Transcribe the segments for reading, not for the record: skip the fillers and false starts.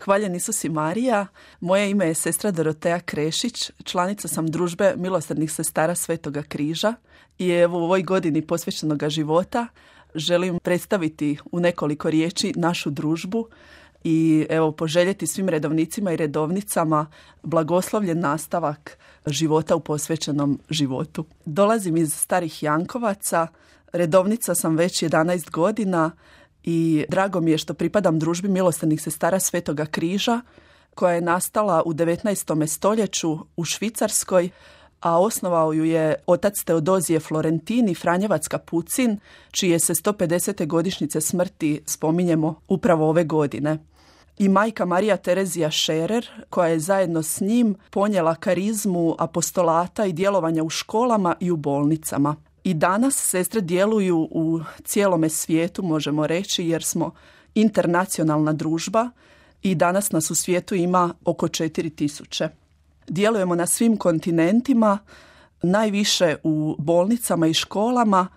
Hvaljen Isus i Marija. Moje ime je sestra Doroteja Krešić, članica sam družbe milosrdnih sestara Svetoga križa i evo u ovoj godini posvećenoga života želim predstaviti u nekoliko riječi našu družbu i evo poželjeti svim redovnicima i redovnicama blagoslovljen nastavak života u posvećenom životu. Dolazim iz Starih Jankovaca, redovnica sam već 11 godina i drago mi je što pripadam družbi milosrdnih sestara Svetoga križa koja je nastala u 19. stoljeću u Švicarskoj, a osnovao ju je otac Teodozije Florentini, Franjevac Kapucin, čije se 150. godišnjice smrti spominjemo upravo ove godine. I majka Marija Terezija Šerer, koja je zajedno s njim ponijela karizmu apostolata i djelovanja u školama i u bolnicama. I danas sestre djeluju u cijelome svijetu, možemo reći, jer smo internacionalna družba i danas nas u svijetu ima oko 4000. Djelujemo na svim kontinentima, najviše u bolnicama i školama,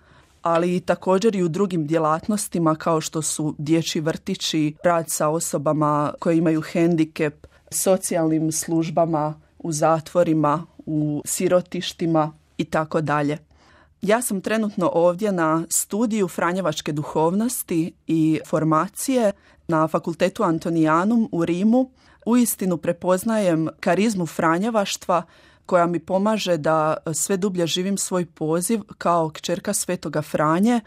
ali i također i u drugim djelatnostima kao što su dječji vrtići, rad sa osobama koje imaju hendikep, socijalnim službama, u zatvorima, u sirotištima i tako dalje. Ja sam trenutno ovdje na studiju Franjevačke duhovnosti i formacije na Fakultetu Antonijanum u Rimu. Uistinu prepoznajem karizmu franjevaštva koja mi pomaže da sve dublje živim svoj poziv kao kćerka Svetoga Franje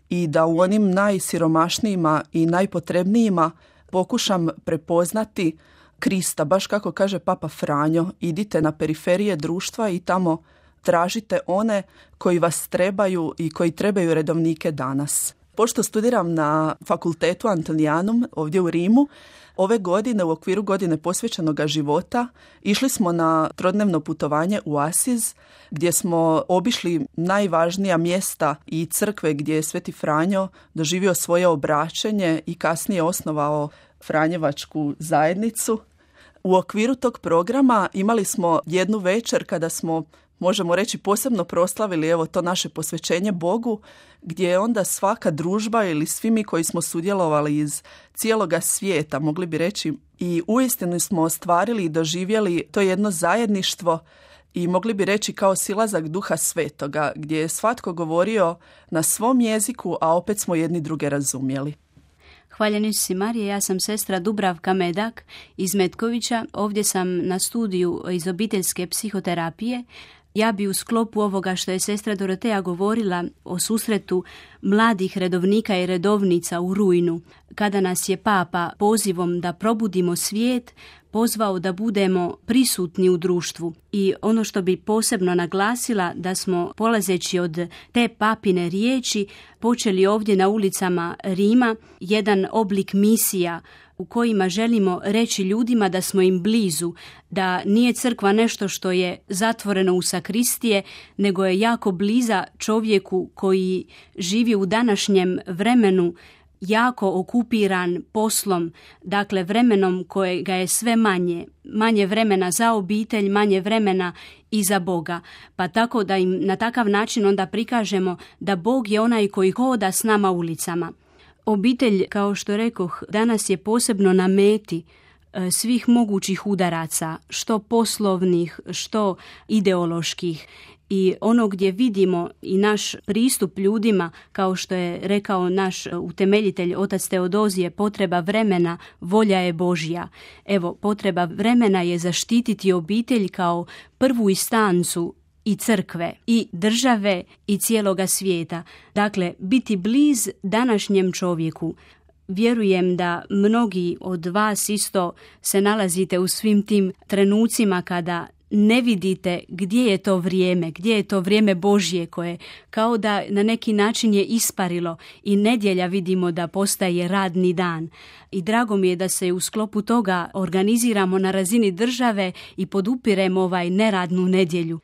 i da u onim najsiromašnijima i najpotrebnijima pokušam prepoznati Krista. Baš kako kaže Papa Franjo, idite na periferije društva i tamo tražite one koji vas trebaju i koji trebaju redovnike danas. Pošto studiram na Fakultetu Antonijanum ovdje u Rimu, ove godine u okviru godine posvećenoga života išli smo na trodnevno putovanje u Asiz gdje smo obišli najvažnija mjesta i crkve gdje je Sveti Franjo doživio svoje obraćenje i kasnije osnovao Franjevačku zajednicu. U okviru tog programa imali smo jednu večer kada smo, možemo reći, posebno proslavili evo to naše posvećenje Bogu, gdje je onda svaka družba ili svi mi koji smo sudjelovali iz cijeloga svijeta, mogli bi reći, i uistinu smo ostvarili i doživjeli to jedno zajedništvo i mogli bi reći kao silazak Duha Svetoga, gdje je svatko govorio na svom jeziku, a opet smo jedni druge razumjeli. Hvaljen Isus i Marija, ja sam sestra Dubravka Medak iz Metkovića. Ovdje sam na studiju iz obiteljske psihoterapije. Ja bi u sklopu ovoga što je sestra Doroteja govorila o susretu mladih redovnika i redovnica u rujnu, kada nas je Papa pozivom da probudimo svijet pozvao da budemo prisutni u društvu. I ono što bi posebno naglasila, da smo polazeći od te papine riječi počeli ovdje na ulicama Rima jedan oblik misija u kojima želimo reći ljudima da smo im blizu, da nije crkva nešto što je zatvoreno u sakristije, nego je jako bliza čovjeku koji živi u današnjem vremenu, jako okupiran poslom, dakle vremenom kojega je sve manje vremena za obitelj, manje vremena i za Boga. Pa tako da im na takav način onda prikažemo da Bog je onaj koji hoda s nama ulicama. Obitelj, kao što rekoh, danas je posebno na meti svih mogućih udaraca, što poslovnih, što ideoloških. I ono gdje vidimo i naš pristup ljudima, kao što je rekao naš utemeljitelj otac Teodozije, potreba vremena, volja je Božja. Evo, potreba vremena je zaštititi obitelj kao prvu instancu i crkve, i države, i cijeloga svijeta. Dakle, biti bliz današnjem čovjeku. Vjerujem da mnogi od vas isto se nalazite u svim tim trenucima kada ne vidite gdje je to vrijeme Božje koje kao da na neki način je isparilo i nedjelja vidimo da postaje radni dan. I drago mi je da se u sklopu toga organiziramo na razini države i podupiremo neradnu nedjelju.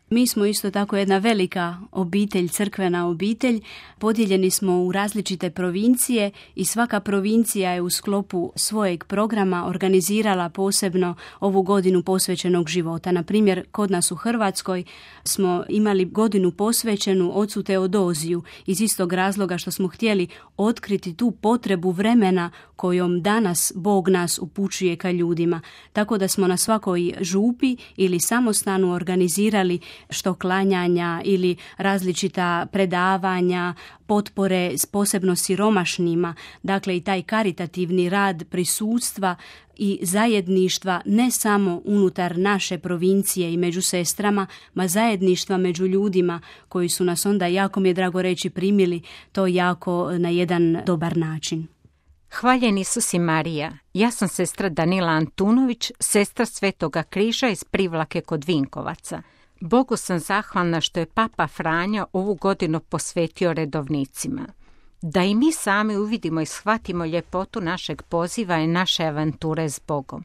Mi smo isto tako jedna velika obitelj, crkvena obitelj. Podijeljeni smo u različite provincije i svaka provincija je u sklopu svojeg programa organizirala posebno ovu godinu posvećenog života. Na primjer, kod nas u Hrvatskoj smo imali godinu posvećenu ocu Teodoziju iz istog razloga što smo htjeli otkriti tu potrebu vremena kojom danas Bog nas upućuje ka ljudima. Tako da smo na svakoj župi ili samostanu organizirali što klanjanja ili različita predavanja, potpore posebno siromašnima, dakle i taj karitativni rad prisutstva i zajedništva ne samo unutar naše provincije i među sestrama, ma zajedništva među ljudima koji su nas onda, jako mi je drago reći, primili to jako na jedan dobar način. Hvaljen Isus i Marija. Ja sam sestra Danila Antunović, sestra Svetoga križa iz Privlake kod Vinkovaca. Bogu sam zahvalna što je Papa Franjo ovu godinu posvetio redovnicima. Da i mi sami uvidimo i shvatimo ljepotu našeg poziva i naše avanture s Bogom.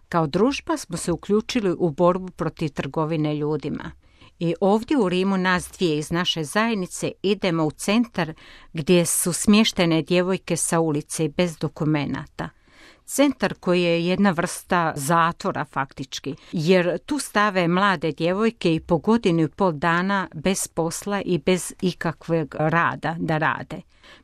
Kao družba smo se uključili u borbu protiv trgovine ljudima. I ovdje u Rimu nas dvije iz naše zajednice idemo u centar gdje su smještene djevojke sa ulice i bez dokumenata. Centar koji je jedna vrsta zatvora faktički, jer tu stave mlade djevojke i po godinu i pol dana bez posla i bez ikakvog rada da rade.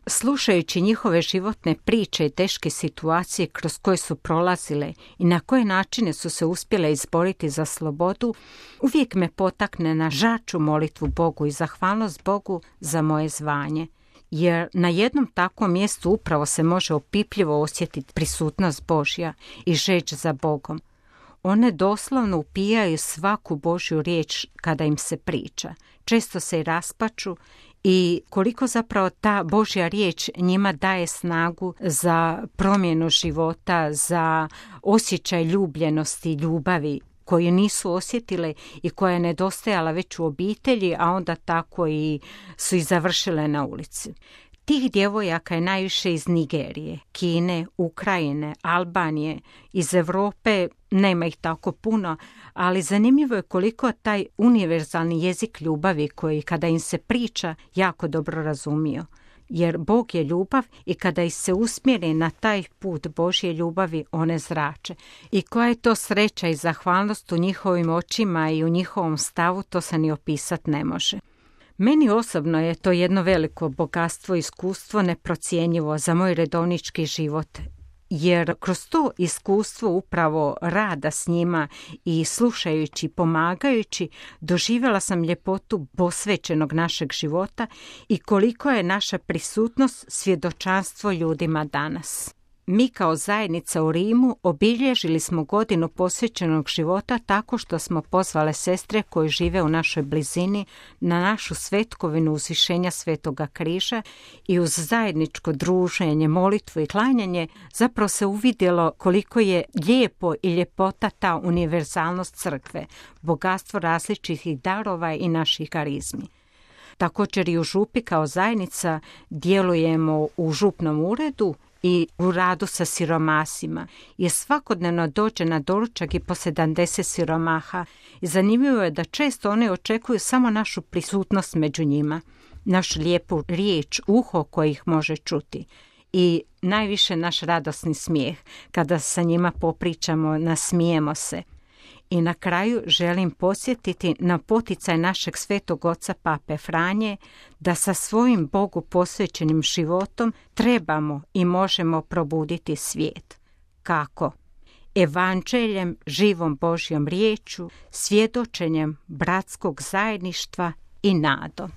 Slušajući njihove životne priče i teške situacije kroz koje su prolazile i na koje načine su se uspjele izboriti za slobodu, uvijek me potakne na žaču molitvu Bogu i zahvalnost Bogu za moje zvanje. Jer na jednom takvom mjestu upravo se može opipljivo osjetiti prisutnost Božja i žeđ za Bogom. One doslovno upijaju svaku Božju riječ kada im se priča. Često se i raspaču i koliko zapravo ta Božja riječ njima daje snagu za promjenu života, za osjećaj ljubljenosti i ljubavi koju nisu osjetile i koja je nedostajala već u obitelji, a onda tako i su i završile na ulici. Tih djevojaka je najviše iz Nigerije, Kine, Ukrajine, Albanije, iz Europe nema ih tako puno, ali zanimljivo je koliko taj univerzalni jezik ljubavi koji kada im se priča jako dobro razumiju. Jer Bog je ljubav i kada ih se usmjeri na taj put Božje ljubavi, one zrače. I koja je to sreća i zahvalnost u njihovim očima i u njihovom stavu, to se ni opisat ne može. Meni osobno je to jedno veliko bogatstvo i iskustvo neprocjenjivo za moj redovnički život, jer kroz to iskustvo upravo rada s njima i slušajući, pomagajući, doživjela sam ljepotu posvećenog našeg života i koliko je naša prisutnost svjedočanstvo ljudima danas. Mi kao zajednica u Rimu obilježili smo godinu posvećenog života tako što smo pozvale sestre koje žive u našoj blizini na našu svetkovinu uzvišenja Svetoga križa i uz zajedničko druženje, molitvu i klanjanje zapravo se uvidjelo koliko je lijepo i ljepota ta univerzalnost crkve, bogatstvo različitih darova i naših karizmi. Također i u župi kao zajednica djelujemo u župnom uredu i u radu sa siromasima, jer svakodnevno dođe na doručak i po 70 siromaha i zanimljivo je da često one očekuju samo našu prisutnost među njima, našu lijepu riječ, uho koje ih može čuti i najviše naš radosni smijeh kada sa njima popričamo, nasmijemo se. I na kraju želim podsjetiti na poticaj našeg svetog oca Pape Franje da sa svojim Bogu posvećenim životom trebamo i možemo probuditi svijet. Kako? Evanđeljem, živom Božjom riječju, svjedočenjem bratskog zajedništva i nadom.